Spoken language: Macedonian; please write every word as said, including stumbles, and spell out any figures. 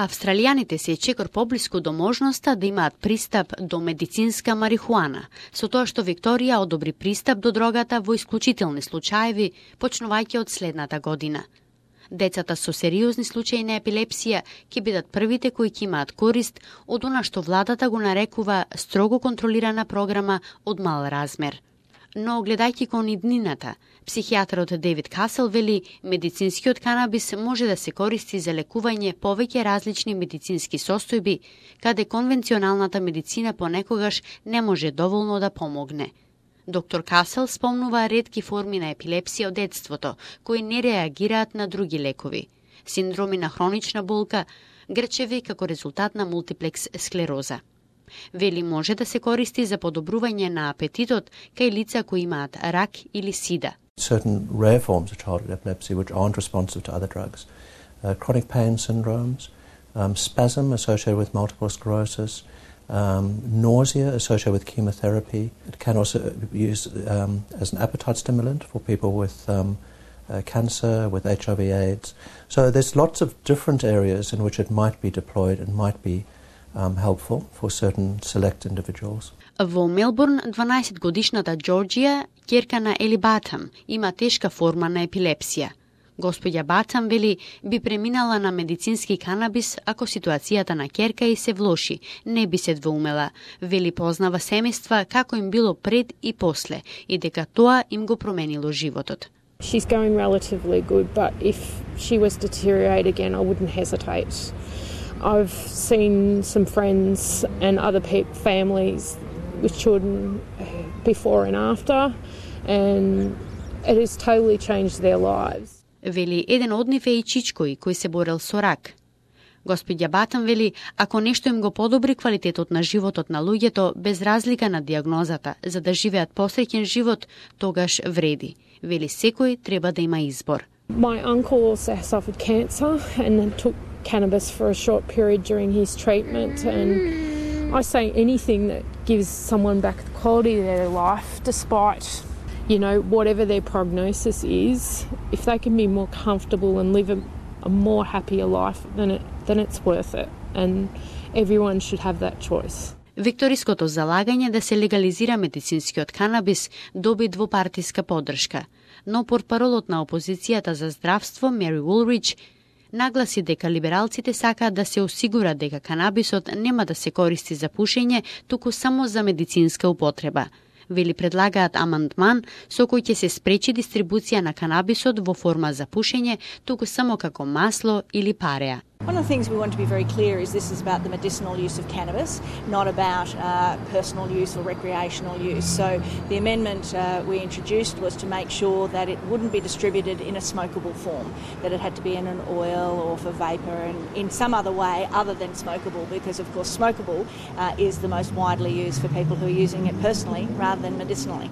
Австралијаните се чекор поблиску до можноста да имаат пристап до медицинска марихуана, со тоа што Викторија одобри пристап до дрогата во исклучителни случаеви, почнувајќи од следната година. Децата со сериозни случаи на епилепсија ќе бидат првите кои ќе имаат корист од она што владата го нарекува строго контролирана програма од мал размер. Но гледајќи кон иднината, психијатрот Дейвид Касел вели медицинскиот канабис може да се користи за лекување повеќе различни медицински состојби, каде конвенционалната медицина понекогаш не може доволно да помогне. Доктор Касел спомнува ретки форми на епилепсија од детството, кои не реагираат на други лекови, синдроми на хронична болка, грчеви како резултат на мултиплекс склероза. Вели може да се користи за подобрување на апетитот кај лица кои имаат рак или сида. Certain rare forms of childhood epilepsy which aren't responsive to other drugs. Uh, chronic pain syndromes, um, spasm associated with multiple sclerosis, um, nausea associated with chemotherapy. It can also be used um, as an appetite stimulant for people with um, uh, cancer, with H I V AIDS. So there's lots of different areas in which it might be deployed and might be Um, helpful for certain select individuals. Во Мелбурн, дванаесетгодишната Џорџија, ќерка на Ели Батам, има тешка форма на епилепсија. Господја Батам вели би преминала на медицински канабис ако ситуацијата на ќерка и се влоши, не би се двоумела. Вели познава семејства како им било пред и после и дека тоа им го променило животот. She's going relatively good, but if she was to deteriorate again, I wouldn't hesitate. I've seen some friends and other pe- families with children before and after, and it has totally changed their lives. Вели еден од нив е и Чичкој, кој се борел со рак. Господја Батам вели, ако нешто им го подобри квалитетот на животот на луѓето без разлика на диагнозата, за да живеат посреќен живот, тогаш вреди. Вели секој треба да има избор. My uncle also suffered cancer and took cannabis for a short period during his treatment, and I say anything that gives someone back the quality of their life despite, you know, whatever their prognosis is, if they can be more comfortable and live a, a more happier life, then it then it's worth it, and everyone should have that choice. Викториското залагање да се легализира медицинскиот канабис доби двопартиска поддршка, но портпаролот на опозицијата за здравство Мери Улрич нагласи дека либералците сакаат да се осигурат дека канабисот нема да се користи за пушење, туку само за медицинска употреба. Вели предлагаат амандман со кој ќе се спречи дистрибуција на канабисот во форма за пушење, туку само како масло или пареа. One of the things we want to be very clear is this is about the medicinal use of cannabis, not about uh, personal use or recreational use. So the amendment uh, we introduced was to make sure that it wouldn't be distributed in a smokable form, that it had to be in an oil or for vapour and in some other way other than smokable, because of course smokable uh, is the most widely used for people who are using it personally rather than medicinally.